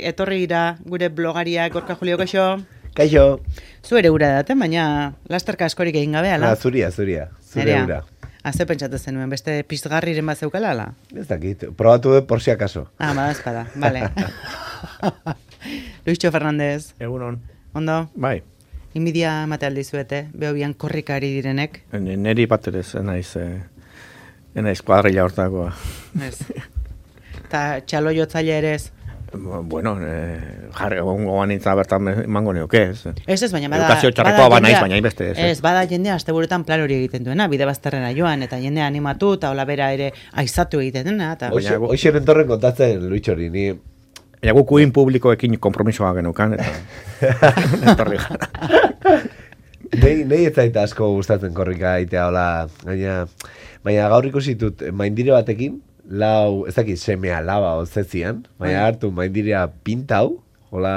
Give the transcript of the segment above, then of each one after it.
Etorri gira gure blogaria Gorka Julio, kaixo. Kaixo. Zu ere ura daten, baina lasterka askorik egin gabe, ala? Zuria. Zure ura. Ze pentsatu zenuen, beste pizgarriren bat zeukala, ala? Ez dakit, probatu dut por si acaso. Badazpada, vale. Luischo Fernandez. Egunon. Ondo? Bai. Inbidia mate aldizuete, behobian korrikari direnek. Neri bat ere enaiz kuadrilla hortakoa. Ez. Ta txalo jotzaile ere ez? Bueno, jarri gogoan nintza bertan emango neuke, ez. Ez, baina bada... Edukazio txarrekoa banaiz, baina inbeste, ez. Ez, bada jendea asteburuetan plan hori egiten duena, bide bazterrena joan, eta jendea animatu, eta hola bera ere aizatu egiten dena. Hoxe entorren kontatzen, Luitxori, ni... Baina gukuin publikoekin kompromisoa genukan, eta... Etorri gara. Nei ez zaita asko gustatzen korrika egitea, hola, baina gaur ikusitut maindire batekin, ez dakit semea laba ozetzian, baina hartu maindirea pintau, hola,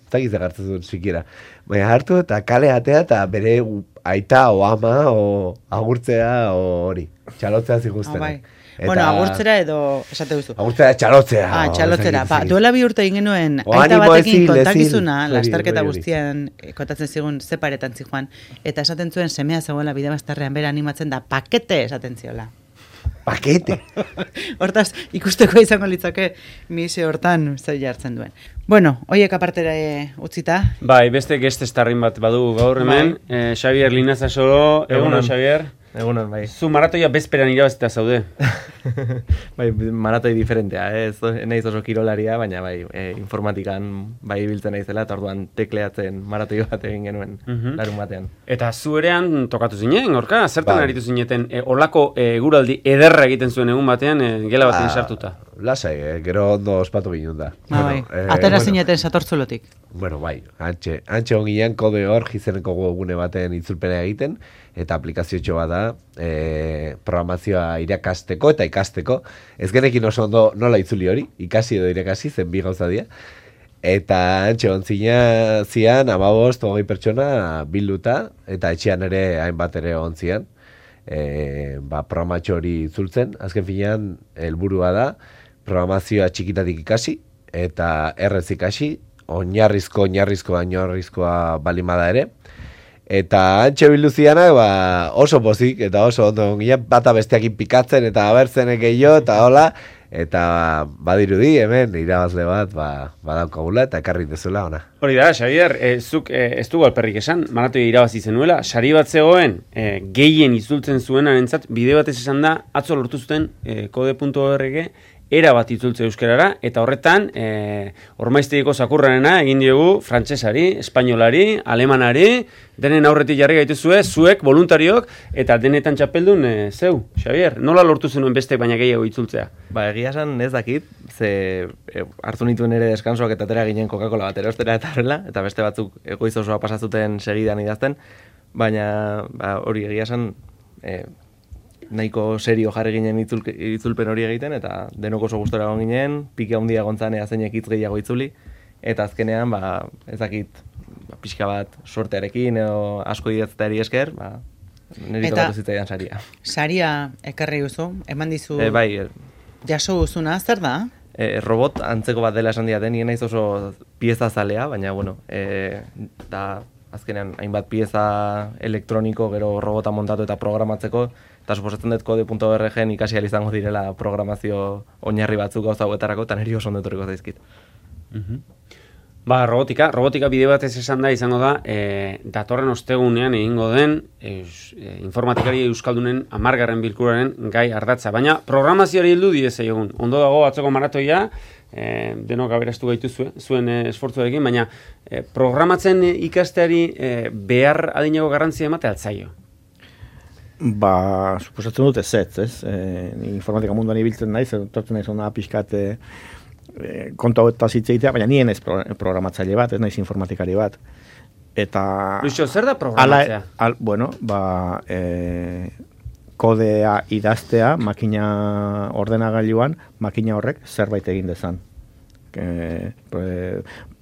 ez dakit zegartzen dut sikiera, baina hartu eta kale atea eta bere aita o ama o agurtzea o hori, txalotzea ziguztena. Bueno, agurtzera edo esate duzu. Agurtzera txalotzea. Txalotzera. Duela bi urte egin genuen, aita batekin kontakizuna, lasterketa guztian kontatzen zigun zeparetan zijoan, eta esaten zuen semea zegoela bide bazterrean bera animatzen da pakete esaten ziola. Pakete. Hortaz, ikusteko izango litzake misi hortan zer jartzen duen. Bueno, hoiek apartera utzita. Bai, beste geste estarrin bat badu gaur hemen. Xavier Linaza Soro, egunon Xavier. Egunon, bai. Zu maratoia bezperan irabazita zaude. Bai, maratoi diferentea, ez naiz oso kirolaria, baina bai, informatikan bai ibiltzen naizela, eta orduan tekleatzen maratoi bat egin genuen larun batean. Eta zu erean tokatu zinen, Gorka? Zertan aritu zineten, olako guraldi ederra egiten zuen egun batean, gela batean sartuta? Lasai, gero ondo ospatu ginen da. Atera zineten satortzulotik. Bueno, bai, antxe ongilean kode hor gizeneko gune baten itzulpena egiten, eta aplikaziotxo bat da, programazioa irakasteko eta ikasteko. Ez genekin oso ondo nola itzuli hori, ikasi edo irakasi, zen bi gauza dira. Eta antxe ontzina zian, 15-20 pertsona bilduta, eta etxean ere hainbat ere ontzian. Programatxo hori itzultzen, azken finean, helburua da, programazioa txikitatik ikasi, eta errez ikasi, oinarrizkoa balimada ere. Eta antxe bilduzianak oso pozik eta oso ondo ginean bata besteakin pikatzen eta abertzenek gehiago eta hola, eta badirudi hemen irabazle bat badaukagula eta ekarri dezula ona. Hori da, Xavier, zuk ez dugu alperrik esan, maratoia irabazi zenuela, sari bat zegoen, gehien itzultzen zuenarentzat, bide batez esan da, atzo lortu zuten kode.org era bat itzultze euskarara, eta horretan, ormaiztegiko zakurrarena egin diogu frantsesari, espainolari, alemanari, denen aurretik jarri gaituzue, zuek, voluntariok, eta denetan txapeldun zeu, Xavier, nola lortu zenuen bestek baina gehiago itzultzea? Ba, egia esan ez dakit, ze hartu nituen ere deskansoak eta atera ginen Coca-Cola bat erostera eta horrela, eta beste batzuk egoiz osoa pasatzuten segidan idazten, baina hori egia esan nahiko serio jarri ginen itzulpen hori egiten, eta denok oso gustora egon ginen, pike handia gontzanea zeinek hitz gehiago itzuli, eta azkenean, ez dakit, pixka bat sortearekin, edo asko idatzetari esker, niri tokatu zitzaidan saria. Saria ekarri duzu, eman dizu bai, jaso duzuna, zer da? Robot antzeko bat dela esan diaten, nien naiz oso pieza zalea, baina, bueno, da azkenean hainbat pieza elektroniko, gero robota montatu eta programatzeko, eta suposatzen dut kode.org-en ikasi izango direla programazio oinarri batzuk gauza hauetarako, eta niri oso ondo etorriko zaizkit. Robotika bide batez esan da izango da, datorren ostegunean egingo den informatikari euskaldunen 10. bilkuraren gai ardatza. Baina programazioari heldu diez egun. Ondo dago atzoko maratoia, denok aberastu gaituzue, zuen esfortzuarekin, baina programatzen ikasteari behar adinago garrantzia emate altzaio. Suposatzen dut ez? Informatika munduan ibiltzen naiz, tortzen naiz ona pixkat kontu hau eta zitzeitea, baina nien ez programatzaile bat, ez naiz informatikari bat. Eta... Luixo, zer da programatzea? Kodea idaztea, makina ordenagailuan, makina horrek zerbait egin dezan.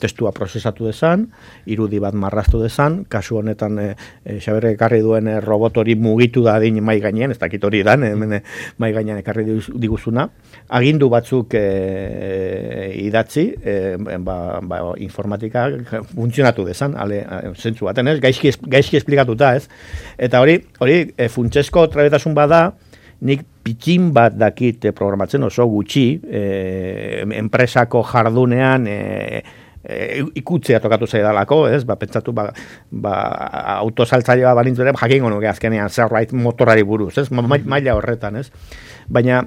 testua prozesatu dezan, irudi bat marraztu dezan, kasu honetan Xaberre ekarri duen robot hori mugitu da adin mai gainean, ez dakit hori dan, mai gainean ekarri diguzuna, agindu batzuk idatzi, informatika funtzionatu dezan, zentzu baten ez, gaizki esplikatuta ez, eta hori funtsezko trebetasun bada, nik pitxin bat dakit programatzen oso gutxi, enpresako jardunean ikutzea tokatu zaidalako, ez? Pentsatu, autosaltzailea balintzu ere, jakingo nuke azkenean zerbait motorari buruz, ez? Maila horretan, ez? Baina,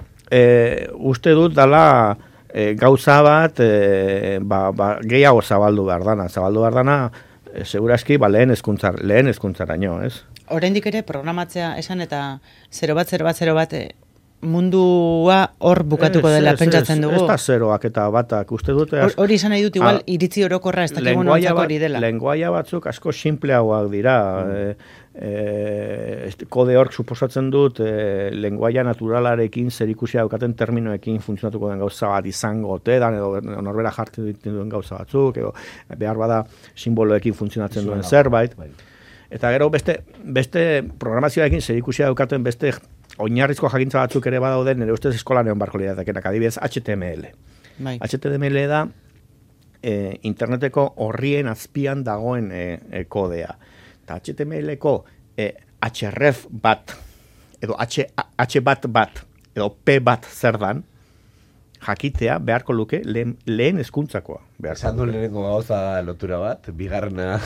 uste dut dala gauza bat, gehiago zabaldu behar dana, segurazki, lehen hezkuntzaraino, ez? Oraindik ere programatzea esan eta 0-1-0-1-0 mundua hor bukatuko dela pentsatzen dugu. Ez da zeroak eta batak, uste dute... Hori izan nahi dut igual iritzi orokorra ez dakigun ontzako hori dela. Lenguaia batzuk asko simpleagoak dira. Kode hork suposatzen dut lenguaia naturalarekin zerikusia daukaten terminoekin funtzionatuko den gauza bat izango otedan, edo norbera jartzen duen gauza batzuk, edo behar bada simboloekin funtzionatzen duen zerbait. Eta gero beste programazioarekin zerikusia daukaten beste oinarrizko jakintza batzuk ere badaude, nire ustez eskolan egon barko lidatekenak, adibidez HTML. HTML da interneteko horrien azpian dagoen kodea. Eta HTML-ko href bat, edo h bat, edo p bat zer dan, jakitea beharko luke lehen hezkuntzakoa. Esan du lehenengo gauza lotura bat, bigarrena...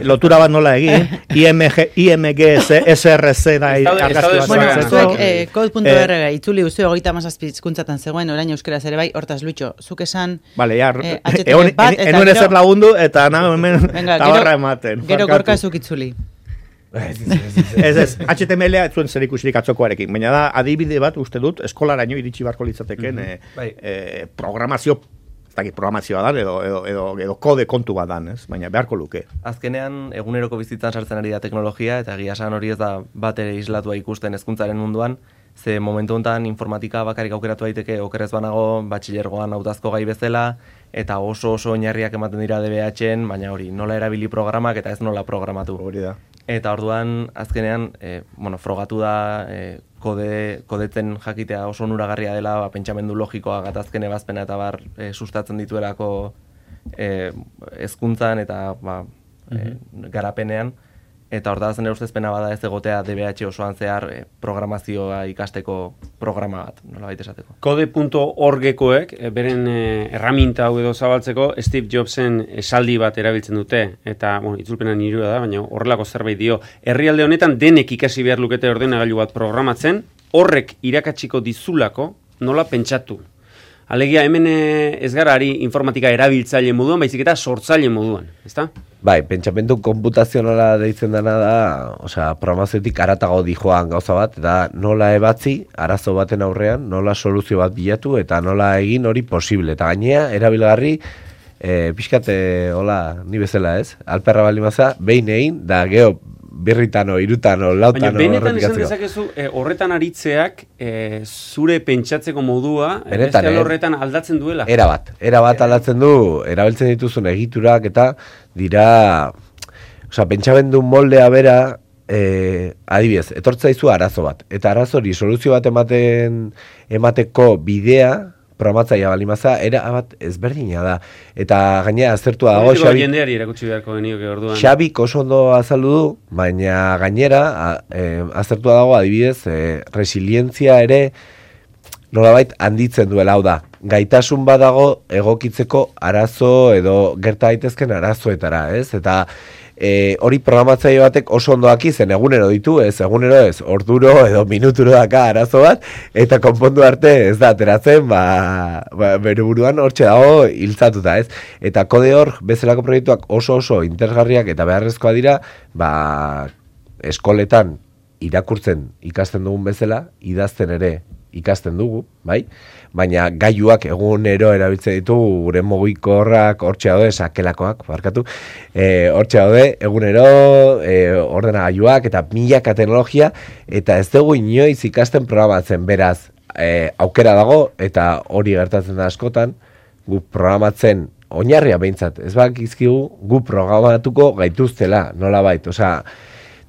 Lotura bat nola egin, IMG, SRC da argazki bat. Bueno, zuek code.org itzuli guzti 37 hizkuntzatan zegoen, orain euskaraz ere bai, hortaz Luitxo, zuk esan... Bale, enuen ezer lagundu eta hemen tabarra ematen. Gero gorka zuk itzuli. Ez, HTML zuen zer ikusirik atzokoarekin, baina da adibide bat uste dut eskolaraino iritsi barko litzateken programazioa da edo kode kontu bat dan, baina beharko luke. Azkenean eguneroko bizitzan sartzen ari da teknologia eta egia esan hori ez da bat ere islatua ikusten hezkuntzaren munduan, ze momentu honetan informatika bakarrik aukeratu daiteke okerrez banago batxilergoan hautazko gai bezala eta oso oinarriak ematen dira DBH-en, baina hori nola erabili programak eta ez nola programatu. Hori da. Eta orduan, azkenean, frogatu da kodetzen jakitea oso onuragarria dela, pentsamendu logikoa gatazken ebazpena eta sustatzen dituelako hezkuntzan eta garapenean. Eta hortaz nire ustezpena bada ez egotea DBH osoan zehar programazioa ikasteko programa bat, nola baita esateko. Kode.orgekoek, beren erraminta hau edo zabaltzeko, Steve Jobsen esaldi bat erabiltzen dute, eta itzulpena nirua da, baina horrelako zerbait dio. Herrialde honetan denek ikasi behar lukete ordenagailu bat programatzen, horrek irakatsiko dizulako nola pentsatu. Alegia, hemen ez gara ari informatika erabiltzaile moduan, baizik eta sortzaile moduan, ezta? Bai, pentsamendu konputazionala deitzen dena da, programazioetik aratago dijoan gauza bat, eta nola ebatzi arazo baten aurrean, nola soluzio bat bilatu, eta nola egin hori posible. Eta gainea, erabilgarri, pixkate, ni bezala ez, alperra bali maza, behin egin, da geho, birritano, irutano, lautano... Baina benetan esan dezakezu horretan aritzeak zure pentsatzeko modua beste horretan aldatzen duela. Erabat aldatzen du, erabiltzen dituzun egiturak eta dira... pentsamendu moldea bera, adibidez, etortzaizu arazo bat. Eta arazo hori soluzio bat emateko bidea, programatzaia balimaza, bat ezberdina da. Eta gainera aztertua dago Xabi... jendeari erakutsi beharko genioke orduan. Xabik oso ondo azaldu du, baina gainera aztertua dago adibidez, resilientzia ere nolabait handitzen duela, hau da. Gaitasun badago egokitzeko arazo edo gerta daitezken arazoetara, ez? Eta hori programatzaile batek oso ondo daki zen egunero ditu, egunero ez, orduro edo minuturo daka arazo bat, eta konpondu arte ez da ateratzen, bere buruan hortxe dago hiltzatuta, ez? Eta kode hor, bezalako proiektuak oso interesgarriak eta beharrezkoa dira, eskoletan irakurtzen ikasten dugun bezala, idazten ere ikasten dugu, bai? Baina gailuak egunero erabiltzen ditugu, gure mugikorrak hortxe daude, sakelakoak, barkatu, hortxe daude, egunero ordenagailuak eta milaka teknologia, eta ez dugu inoiz ikasten programatzen, beraz, aukera dago, eta hori gertatzen da askotan, gu programatzen oinarria behintzat, ez bakizkigu gu programatuko gaituztela, nolabait, osea,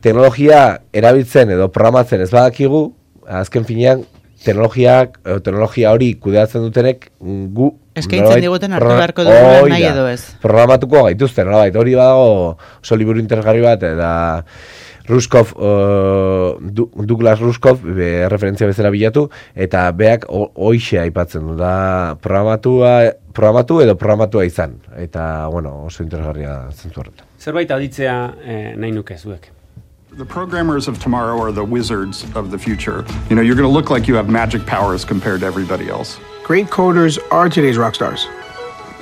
teknologia erabiltzen edo programatzen ez badakigu, azken finean, teknologia hori kudeatzen dutenek gu eskaintzen diguten hartu beharko dugu nahi edo ez. Programatuko gaituzte, nolabait, hori badago oso liburu interesgarri bat, eta Ruskov, Douglas Ruskov, referentzia bezala bilatu, eta beak hoixe aipatzen du, da programatu edo programatua izan, eta, bueno, oso interesgarria zentzu horretan. Zerbait aditzea nahi nuke zuek. The programmers of tomorrow are the wizards of the future. You know, you're going to look like you have magic powers compared to everybody else. Great coders are today's rock stars.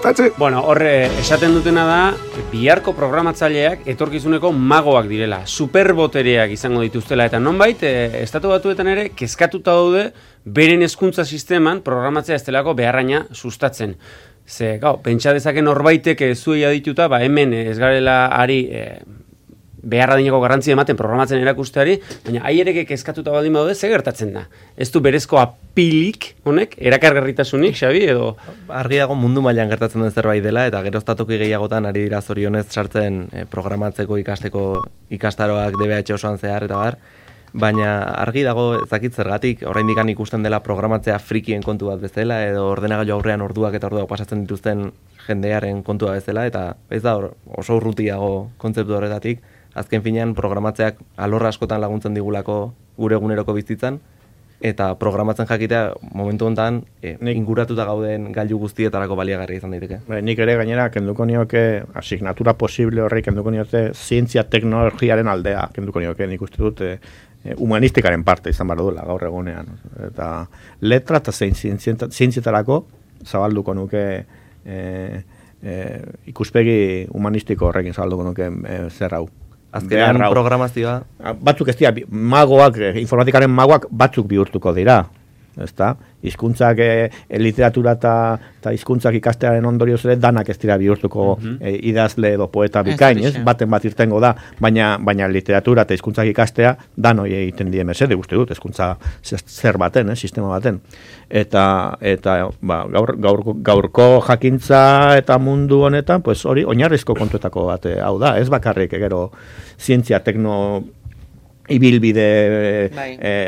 That's it. Bueno, horre esaten dutena da, biharko programatzaileak etorkizuneko magoak direla, superbotereak izango dituztela, eta nonbait, estatu batuetan ere, kezkatuta daude, beren hezkuntza sisteman programatzea ez delako beharraina sustatzen. Ze, pentsa dezake norbaitek zuei adituta, hemen ez garela ari beharra dineko garrantzia ematen programatzen erakusteari, baina aiereke kezkatuta baldin badaude, ze gertatzen da? Ez du berezko apilik, honek, erakargarritasunik, Xabi, edo? Argi dago mundu mailan gertatzen den zerbait dela, eta geroztatoki gehiagotan ari dira zorionez sartzen programatzeko ikastaroak DBH osoan zehar, eta bar, baina argi dago ezakit zergatik, oraindik ikusten dela programatzea frikien kontu bat bezala, edo ordenagailu aurrean orduak eta orduak pasatzen dituzten jendearen kontua bezala, eta ez da oso urrutiago kontzeptu horretatik, azken finean programatzeak alorra askotan laguntzen digulako gure eguneroko bizitzan, eta programatzen jakitea momentu honetan inguratuta gauden gailu guztietarako baliagarria izan daiteke. Nik ere gainera kenduko nioke asignatura posible horri kenduko nioke zientzia teknologiaren aldea kenduko nioke, nik uste dut humanistikaren parte izan behar duela gaur egunean. Eta letra eta zientzietarako zabalduko nuke ikuspegi humanistiko horrekin zabalduko nuke zer hau. Azkenean programazioa. Batzuk ez dira, magoak, informatikaren magoak batzuk bihurtuko dira. Ezta? Hizkuntzak, literatura eta hizkuntzak ikastearen ondorioz ere danak ez dira bihurtuko idazle edo poeta bikain, ez? Baten bat irtengo da, baina literatura eta hizkuntzak ikastea danoi egiten die mesede, uste dut, hizkuntza zer baten, sistema baten. Eta gaurko jakintza eta mundu honetan, pues hori oinarrizko kontuetako bat hau da, ez bakarrik gero zientzia ibilbide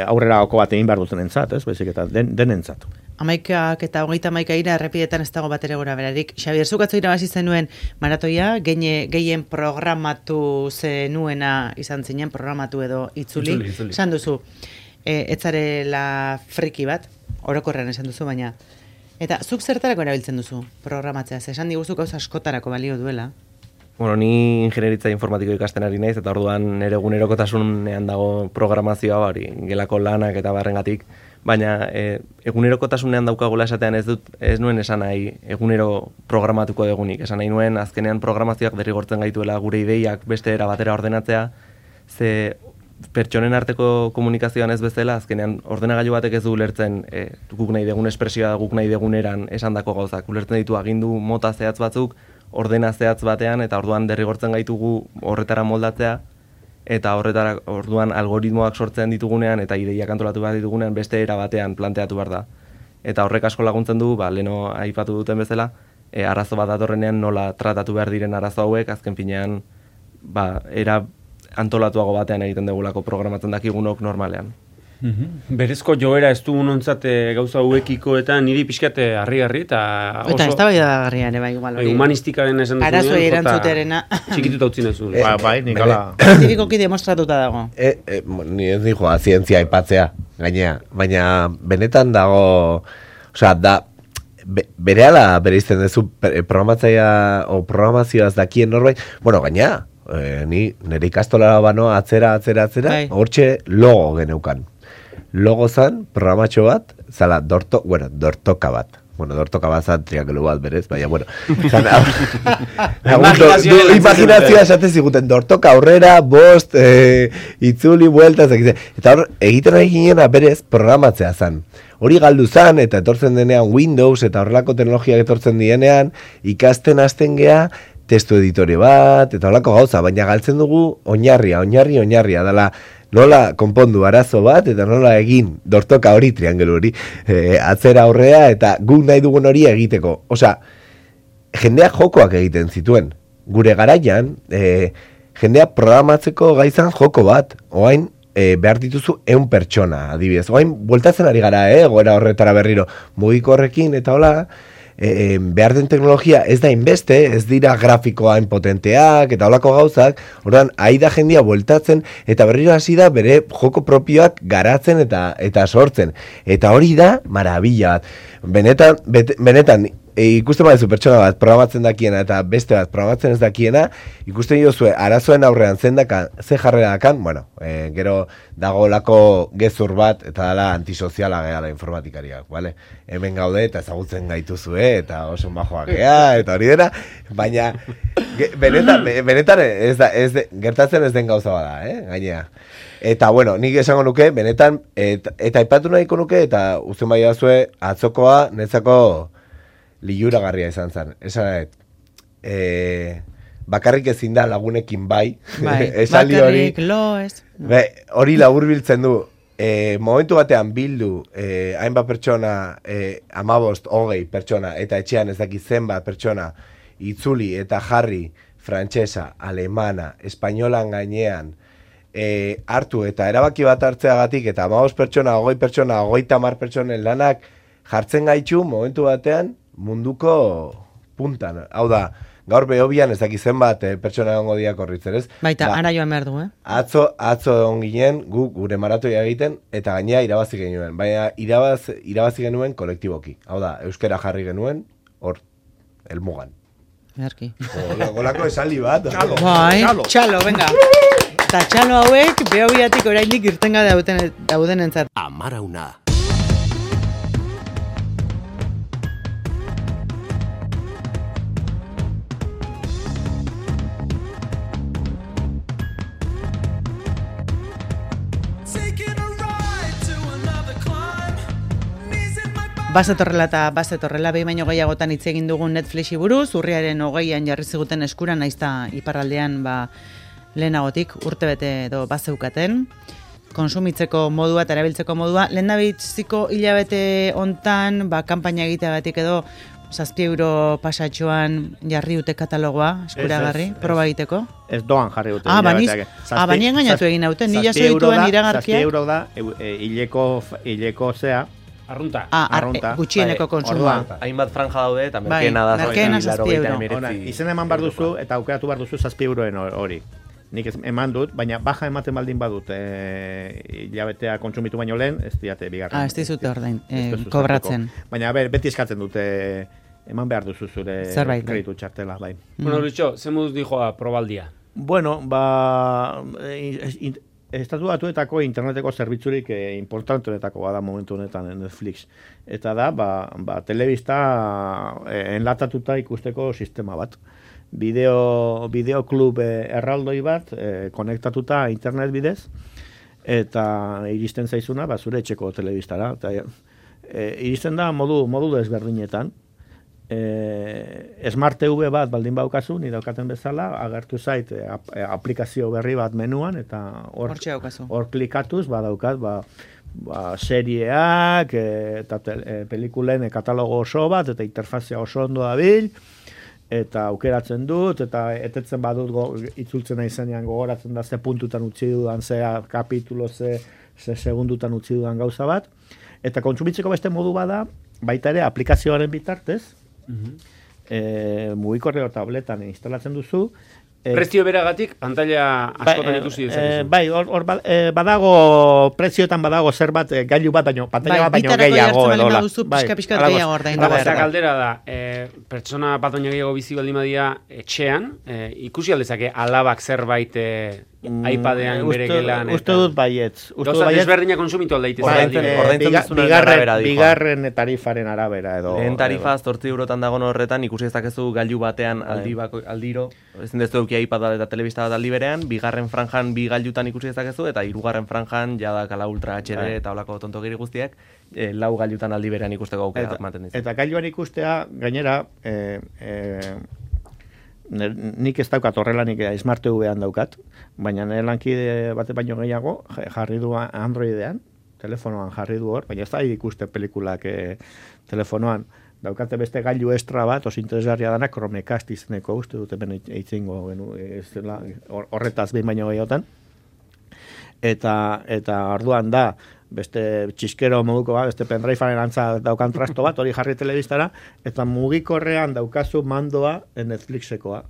aurrera oko bat egin behar duten entzat, ez? Baizik eta denentzat. 11 eta 31 ira errepidetan ez dago bat ere gora berarik. Xabier, zuk atzo irabazi zenuen maratoia, gehien programatu zenuena izan zinen, programatu edo itzuli. Esan duzu, etzarela friki bat, orokorrean esan duzu, baina. Eta zuk zertarako erabiltzen duzu programatzea? Esan diguzu gauza askotarako balio duela. Bueno, ni ingenieritza informatiko ikasten ari naiz, eta orduan nire egunerokotasunean dago programazioa hori, gelako lanak eta barrengatik, baina egunerokotasunean daukagula esatean ez nuen esan nahi egunero programatuko degunik, esan nahi nuen azkenean programazioak derrigortzen gaituela gure ideiak beste era batera ordenatzea, ze pertsonen arteko komunikazioan ez bezala, azkenean ordenagailu batek ez du ulertzen guk nahi degun espresioa guk nahi deguneran esandako gauzak, ulertzen ditu agindu mota zehatz batzuk, ordena zehatz batean, eta orduan derrigortzen gaitugu horretara moldatzea, eta orduan algoritmoak sortzen ditugunean, eta ideiak antolatu behar ditugunean, beste era batean planteatu behar da. Eta horrek asko laguntzen du, leheno aipatu duten bezala, arazo bat datorrenean nola tratatu behar diren arazo hauek, azken finean, era antolatuago batean egiten dugulako programatzen dakigunok normalean. Berezko joera ez du unontzat gauza hauekiko eta niri pixkate harri-harri eta oso... Eta ez da bai da garria ere bai igual hori. Humanistikaren esan dut. Arazoei erantzutearena. Txikituta utzi nezu. Bai, Nikola. Zientifikoki demostratuta dago. Ni ez dijo zientzia aipatzea, gainea. Baina benetan dago... Osea, da... Berehala bereizten duzu programatzaia o programazioaz dakien norbait. Bueno, gainea, ni nire ikastolara banoa atzera, hortxe logo geneukan. Logo zan, programatxo bat, zala, dortoka bat. Bueno, dortoka bat zan, triangelu bat berez, baina, bueno. Imaginazioa esatez ziguten, dortoka aurrera, bost, itzuli, buelta, eta hor, egiten ari ginen berez, programatzea zan. Hori galdu zan, eta etortzen denean Windows, eta horrelako teknologiak etortzen dienean, ikasten hasten gea, testu editore bat, eta horrelako gauza, baina galtzen dugu oinarria, dela, nola konpondu arazo bat, eta nola egin dortoka hori, triangelu hori, atzera aurrea, eta guk nahi dugun hori egiteko. Osea, jendeak jokoak egiten zituen. Gure garaian, jendeak programatzeko gaizan joko bat, oain behar dituzu 100 pertsona, adibidez. Oain, bueltatzen ari gara, goera horretara berriro, mugiko horrekin, eta hola, behar den teknologia ez da inbeste, ez dira grafikoa potenteak eta holako gauzak, orduan, ahi da jendia bueltatzen, eta berriro hasi da bere joko propioak garatzen eta sortzen. Eta hori da, marabila bat. Benetan, ikusten badezu pertsona bat programatzen dakiena eta beste bat programatzen ez dakiena, ikusten jozue arazoen aurrean ze jarrera dakan, bueno, gero dago lako gezur bat eta dala antisoziala gehala informatikariak, vale? Hemen gaude eta ezagutzen gaituzue eta oso majoak gea eta hori dena, baina benetan gertatzen ez den gauza bada, gainea. Eta bueno, nik esango nuke, benetan, eta aipatu nahiko nuke, eta uzten bai dazue, atzokoa netzako liuragarria izan zen. Esan bakarrik ezin da lagunekin bai. Bakarrik lo ez. Hori laburbiltzen du. Momentu batean bildu hainbat pertsona, 15, 20 pertsona, eta etxean ez daki zenbat pertsona itzuli eta jarri frantsesa, alemana, espainolan gainean hartu eta erabaki bat hartzeagatik eta 15 pertsona, 20 pertsona, 30 pertsonen lanak jartzen gaitu momentu batean munduko puntan. Hau da, gaur behobian ez daki zenbat pertsona egongo diak horritzen, ez? Baita, ara joan behar du, Atzo egon ginen, gure maratoia egiten, eta gainea irabazi genuen. Baina irabazi genuen kolektiboki. Hau da, euskera jarri genuen, hor, elmugan. Erki. Golako esaldi bat. Txalo, venga. Eta txalo hauek, behobiatik oraindik irtenga dauden entzat. Amarauna. Bazetorrela behin baino gehiagotan hitz egin dugun Netflixi buruz, urriaren 20an jarri ziguten eskura, naizta iparraldean lehenagotik urtebete edo bazeukaten. Konsumitzeko modua eta erabiltzeko modua. Lehendabitziko hilabete hontan, kanpaina egiteagatik edo 7 euro pasatxoan jarri dute katalogoa eskuragarri, proba egiteko? Ez doan jarri dute. Baina engainatu egin hauten, nila zoituen iragarkia. 7 euro da, hileko zea, Arrunta. Gutxieneko konsumua. Hainbat franja daude eta merkeena da. Merkeena 7 euro. Izen eman behar duzu eta aukeratu behar duzu 7 euroen hori. Nik eman dut, baina baja ematen baldin badut hilabetea kontsumitu baino lehen, ez diate bigarren. Ez dizute ordain, kobratzen. Baina beti eskatzen dute eman behar duzu zure kreditu txartela, bai. Bueno, Lucho, ze moduz dijoa probaldia? Bueno, Estatu Batuetako interneteko zerbitzurik importantenetako bada momentu honetan Netflix. Eta da, telebista enlatatuta ikusteko sistema bat. Bideoklub erraldoi bat, konektatuta internet bidez, eta iristen zaizuna, zure etxeko telebistara. Iristen da modu desberdinetan. Smart TV bat baldin baukazu, ni daukaten bezala, agertu zait aplikazio berri bat menuan, eta hor klikatuz, badaukat, serieak, eta pelikulen katalogo oso bat, eta interfazia oso ondo dabil, eta aukeratzen dut, eta etetzen badut itzultzen izenean gogoratzen da ze puntutan utzi dudan, ze kapitulo, ze segundutan utzi dudan gauza bat, eta kontsumitzeko beste modu bada, baita ere aplikazioaren bitartez, mugikorreko tabletan instalatzen duzu. Prezio beragatik, pantalla askotan ikusi dezakezu. Bai, hor badago, prezioetan badago zer bat, gailu bat baino, pantalla bat baino gehiago edola. Pixka gehiago ordaindu behar. Galdera da, pertsona bat baino gehiago bizi baldin badia etxean, ikusi aldezake alabak zerbait iPadean bere gelan. Uste dut baietz. Gauza desberdina konsumitu aldaitez. Bigarren tarifaren arabera edo. Lehen tarifa 8 eurotan dagoen horretan, ikusi ezakezu gailu batean aldiro, ezin dezu eukia iPad eta telebista bat aldi berean, bigarren franjan bi gailutan ikusi ezakezu, eta hirugarren franjan jadakala Ultra HD eta olako tontogiri guztiak, 4 gailutan aldi berean ikusteko aukera ematen dizu. Eta gailuan ikustea, gainera, nik ez daukat horrelanik Smart TV-an daukat, baina nire lankide bate baino gehiago jarri du Androidean, telefonoan jarri du hor, baina ez da ikuste pelikulak telefonoan, daukate beste gailu estra bat, oso interesgarria dana, Chromecast izeneko, uste dut hemen eitzingo horretaz behin baino gehiotan. Eta orduan da, beste txiskero moduko bat, beste pendrivearen antza daukan trasto bat, hori jarri telebistara, eta mugikorrean daukazu mandoa Netflixekoa.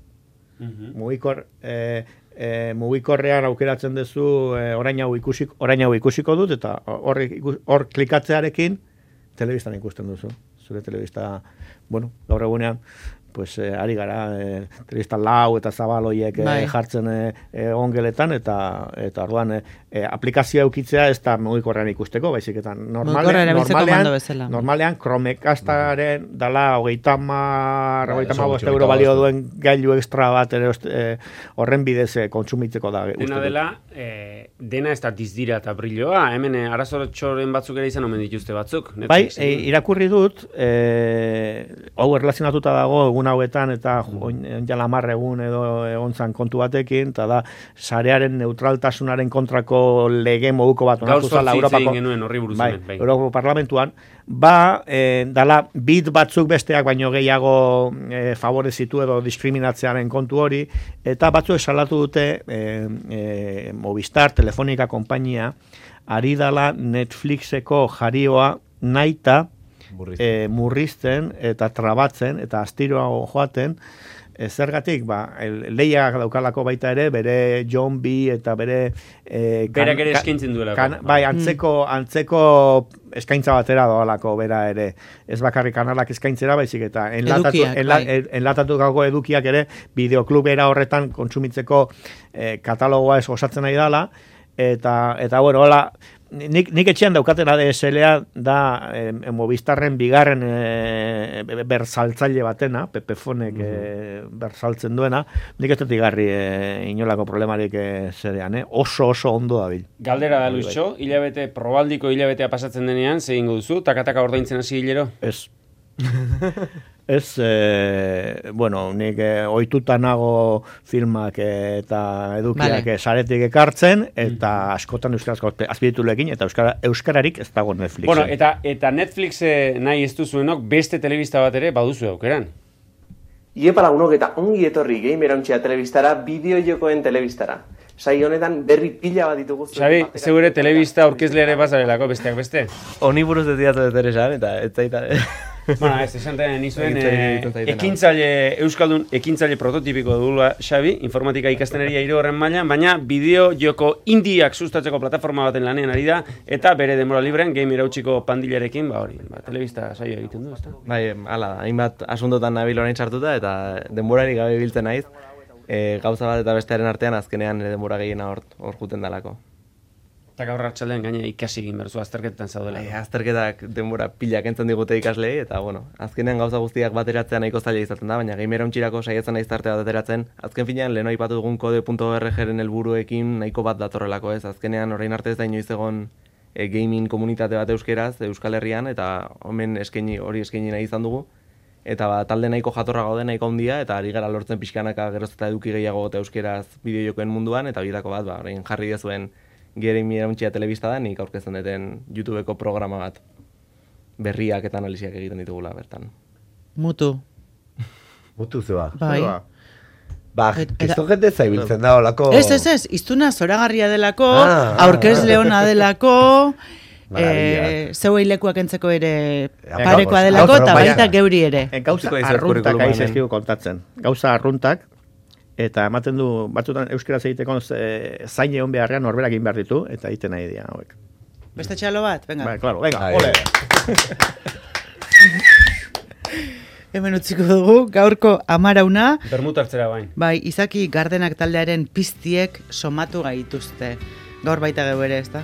Mugikorrean aukeratzen duzu orain hau ikusiko dut, eta hor klikatzearekin telebistan ikusten duzu. Zure telebista, bueno, gaur egunean, pues ari gara telebista lau eta zabaloiek jartzen ongeletan, eta orduan aplikazioa eukitzea ez da mugikorrean ikusteko, baizik eta normalean Chromecastaren dala 35 euro balio duen gailu extra bat horren bidez kontsumitzeko da. Dena dela, dena ez da dizdira eta brilloa, hemen arazorotxoren batzuk ere izan omen dituzte batzuk. Bai, irakurri dut, hau erlazionatuta dago egun hauetan eta jala 10 egun edo egontzan kontu batekin, eta da sarearen neutraltasunaren kontrako lege moduko bat onartu zala Europako Parlamentuan, dala bit batzuk besteak baino gehiago favorezitu edo diskriminatzearen kontu hori, eta batzuek salatu dute Movistar, Telefonica konpainia, ari dala Netflixeko jarioa naita murrizten eta trabatzen eta astiroa joaten, zergatik, lehiak daukalako baita ere, bere John B. eta bere berak ere eskaintzen duelako. Bai, antzeko eskaintza batera doalako bera ere. Ez bakarrik kanalak eskaintzera, baizik eta enlatatutako edukiak ere bideoklubera horretan kontsumitzeko katalogoa osatzen nahi dala, eta bueno, hola, nik etxean daukaten ADSL-a da Movistarren bigarren bersaltzaile batena, Pepefonek bersaltzen duena, nik ez dut igarri inolako problemarik zerean, oso ondo dabil. Galdera da, Luisxo, probaldiko hilabetea pasatzen denean, ze egingo duzu, takataka ordaintzen hasi hilero? Ez. Ez, bueno, nik ohituta nago filmak eta edukiak saretik ekartzen, eta askotan euskarazko azpititulekin, eta euskararik ez dago Netflixen. Bueno, eta Netflix nahi ez duzuenok beste telebista bat ere baduzu aukeran. Iepa lagunok eta ongi etorri Gamerauntxea telebistara, bideojokoen telebistara. Sai honetan berri pila bat ditugu. Xabi, zeure telebista aurkezleare bazarelako besteak beste. Honi buruz ez diatu dut ere esan, eta ez zaita... Bueno, ez esanten nizuen, Euskaldun ekintzaile prototipiko dugula, Xabi, informatika ikasteneria hiru horren mailan, baina bideo joko indiak sustatzeko plataforma baten lanean ari da, eta bere denbora librean Gamerauntxiko pandilarekin, telebista saio egiten du, ezta? Bai, hala da, hainbat asuntotan nabil orain sartuta, eta denborari gabe biltzen naiz, gauza bat eta bestearen artean azkenean denbora gehiena hor juten dalako. Eta gaur hartxaldean gaina ikasi egin berzu, azterketetan zaudela. Azterketak denbora pilak entzun digute ikaslei, eta bueno, azkenean gauza guztiak bateratzea nahiko zaila izaten da, baina Gamerauntxirako saiatzen naiz tarte bat ateratzen, azken finean lehen aipatu dugun kode.org-ren helburuekin nahiko bat datorrelako ez, azkenean orain arte ez da inoiz egon gaming komunitate bat euskeraz, Euskal Herrian, eta hemen hori eskaini nahi izan dugu, eta talde nahiko jatorra gaude, nahiko handia, eta ari gara lortzen pixkanaka geroz eta eduki gehiago eta euskeraz bideojokoen munduan, eta horietako bat, orain jarri dezuen Gamerauntxea telebista da, nik aurkezten duten YouTubeko programa bat. Berriak eta analiziak egiten ditugula bertan. Mutu zeba. Bai. Kisto jente zaibiltzen da olako... Ez, iztuna zoragarria delako, aurkezle ona delako, zeuei lekuak entzeko ere parekoa delako, eta baita geuri ere. Gauza arruntak aizezkigu kontatzen. Gauza arruntak, eta ematen du, batzutan euskaraz egiteko zain egon beharrean norberak egin behar ditu, eta egiten nahi dira hauek. Beste txalo bat? Venga. Bai, claro, venga, ole! Hemen utziko dugu, gaurko amarauna. Bermut hartzera bain. Bai, Izaki Gardenak taldearen piztiek somatu gaituzte. Gaur baita geu ere, ez da?